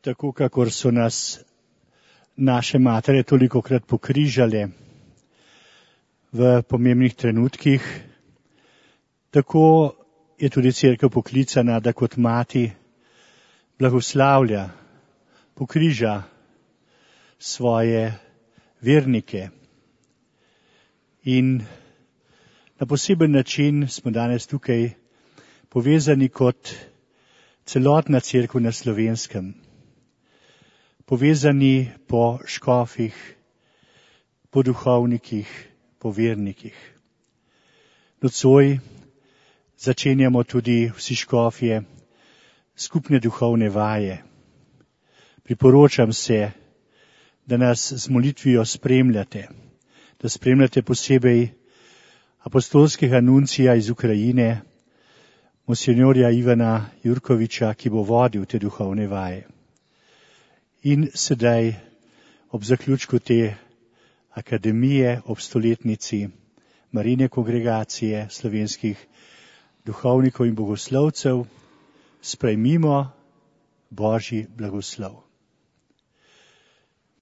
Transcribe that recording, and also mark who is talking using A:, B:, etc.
A: tako kakor so nas naše matere tolikokrat pokrižale v pomembnih trenutkih, tako je tudi cerkev poklicana, da kot mati blagoslavlja, pokriža svoje vernike. In na poseben način smo danes tukaj povezani kot celotna cerkev na Slovenskem. Povezani po škofih, po duhovnikih, po vernikih. Nocoj začenjamo tudi vsi škofje skupne duhovne vaje. Priporočam se, da nas z molitvijo spremljate, da spremljate posebej apostolskega nuncija iz Ukrajine, monsinjorja Ivana Jurkoviča, ki bo vodil te duhovne vaje. In sedaj ob zaključku te akademije, ob stoletnici Marijine kongregacije slovenskih duhovnikov in bogoslovcev, sprejmimo Božji blagoslov.